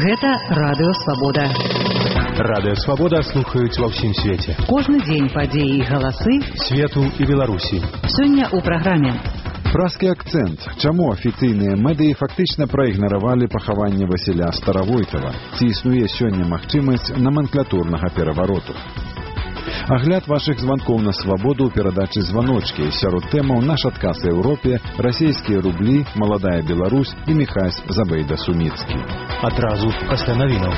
Гэта Радыё Свабода. Радыё Свабода слухаюць ва ўсім свеце. Кожны дзень падзеі і галасы свету і Беларусі. Сёння ў праграме. Празкі акцэнт. Чаму афіцыйныя медыі фактычна праігнаравалі пахаванне Васіля Старавойтава? Ці існуе сёння магчымасць номенклатурнага перавароту? Агляд вашых званкоў на свабоду ў перадачы «Званочкі». Сярод тэмаў наш адказ Еўропе, расійскія рублі, маладая Беларусь і Міхась Забейда-Суміцкі. Адразу пасля навінаў.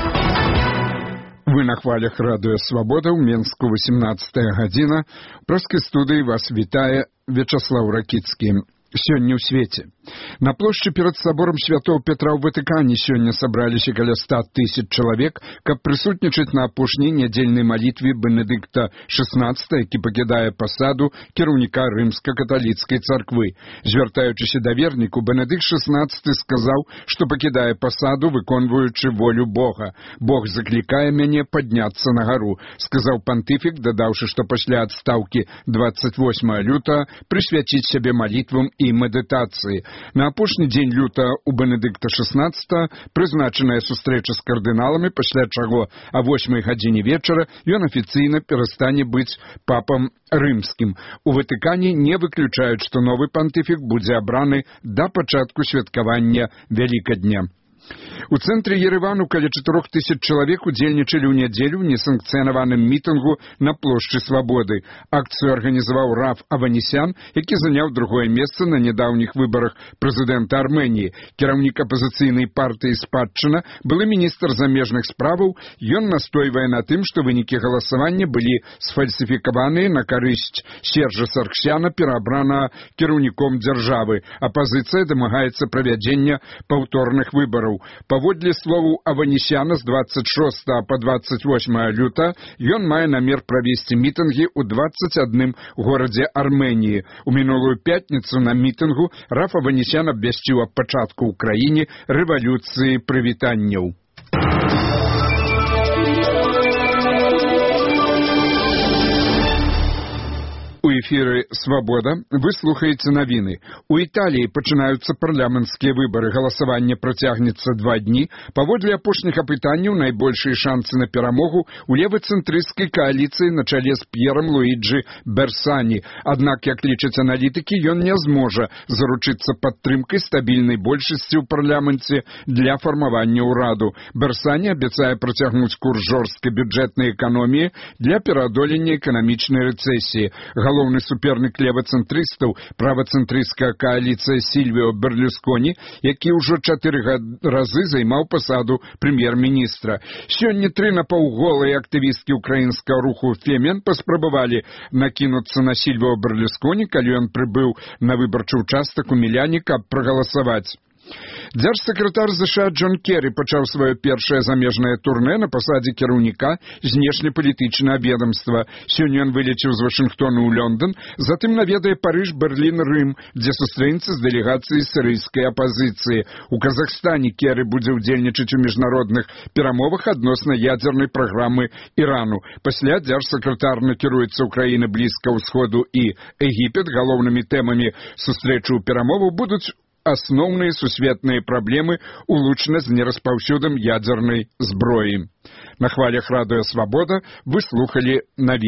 Вы на хвалях Радыё Свабода ў Менску 18 гадзіна. Празкай студыі вас вітае Вячаслаў Ракіцкі. Сёння ў свеце. На плошчы перад саборам святого Петра ў Ватыкане сёння сабраліся каля 100 000 чалавек, каб прысутнічаць на апошняй нядзельнай малітве Бенедыкта XVI, які пакідае пасаду кіраўніка рымска-каталіцкай царквы. Звяртаючыся да верніку, Бенедыкт XVI сказаў, што пакідае пасаду, выконваючы волю Бога. Бог заклікае мяне падняцца на гару, сказаў пантыфік, дадаўшы, што пасля адстаўкі 28 лютага прысвяціць сябе малітвам і медытацыі. На апошні дзень лютага у Бенедыкта XVI прызначаная сустрэча з кардыналамі, пасля чаго а 8 гадзіне вечара ён афіцыйна перастане быць папам рымскім. У Ватыкане не выключаюць, што новы пантыфік будзе абраны да пачатку святкавання Вялікадня. У цэнтры Еревану каля 4000 чалавек удзельнічалі ў нядзелю ў несанкцыянаваным мітынгу на плошчы Свабоды. Акцыю арганізаваў Раф Аванесян, які заняў другое месца на нядаўніх выбарах прэзідэнта Арменіі. Кіраўнік апазіцыйнай партыі «Спадчына», былы міністр замежных справаў, ён настойвае на тым, што вынікі галасавання былі сфальсіфікаваныя на карысць Сержа Сарксяна, пераабранага кіраўніком дзяржавы. Апазіцыя дамагаецца правядзення паўторных выбараў. Паводле словаў Аванесяна, з 26 па 28 лютага ён мае намер правесці мітынгі ў 21 горадзе Арменіі. У мінулую пятніцу на мітынгу Раф Аванесян абвясціў аб пачатку ў краіне рэвалюцыі прывітанняў. У эфіры «Свабода» вы слухаеце навіны. У Італіі пачынаюцца парламенцкія выбары. Галасаванне працягнецца 2 дні. Паводле апошніх апытанняў найбольшыя шанцы на перамогу у левацэнтрысцкай кааліцыі на чале з П'ерам Луіджы Берсані. Аднак, як лічаць аналітыкі, ён не зможа заручыцца падтрымкай стабільнай большасці ў парламенце для фармавання ўраду. Берсані абяцае працягнуць курс жорсткай бюджэтнай эканоміі для пераадолення эканамічнай рэцэсіі. Галоўны супернік левацэнтрыстаў, правацэнтрысцкая кааліцыя Сільвіо Берлюсконі, які ўжо 4 разы займаў пасаду прэм'ер-міністра. Сёння 3 напаўголыя актывісткі ўкраінскага руху «Фемен» паспрабавалі накінуцца на Сільвіо Берлюсконі, калі ён прыбыў на выбарчы ўчастак у Міляне, каб прагаласаваць. Дзяржсакратар США Джон Керрі пачаў сваё першае замежнае турнэ на пасадзе кіраўніка знешнепалітычнага ведамства. Сёння ён вылецеў з Вашынгтона ў Лондон, затым наведае Парыж, Берлін, Рым, дзе сустрэнецца з дэлегацыяй сірыйскай апазіцыі. У Казахстане Керрі будзе ўдзельнічаць у міжнародных перамовах адносна ядзернай праграмы Ірану. Пасля дзяржсакратар накіруецца ў краіны Блізкага ўсходу і Егіпет. Галоўнымі тэмамі сустрэчы ў перамовах будуць асноўныя сусветныя праблемы улучана з нераспаўсюдам ядзернай зброі. На хвалях Радыё Свабода вы слухалі навіны.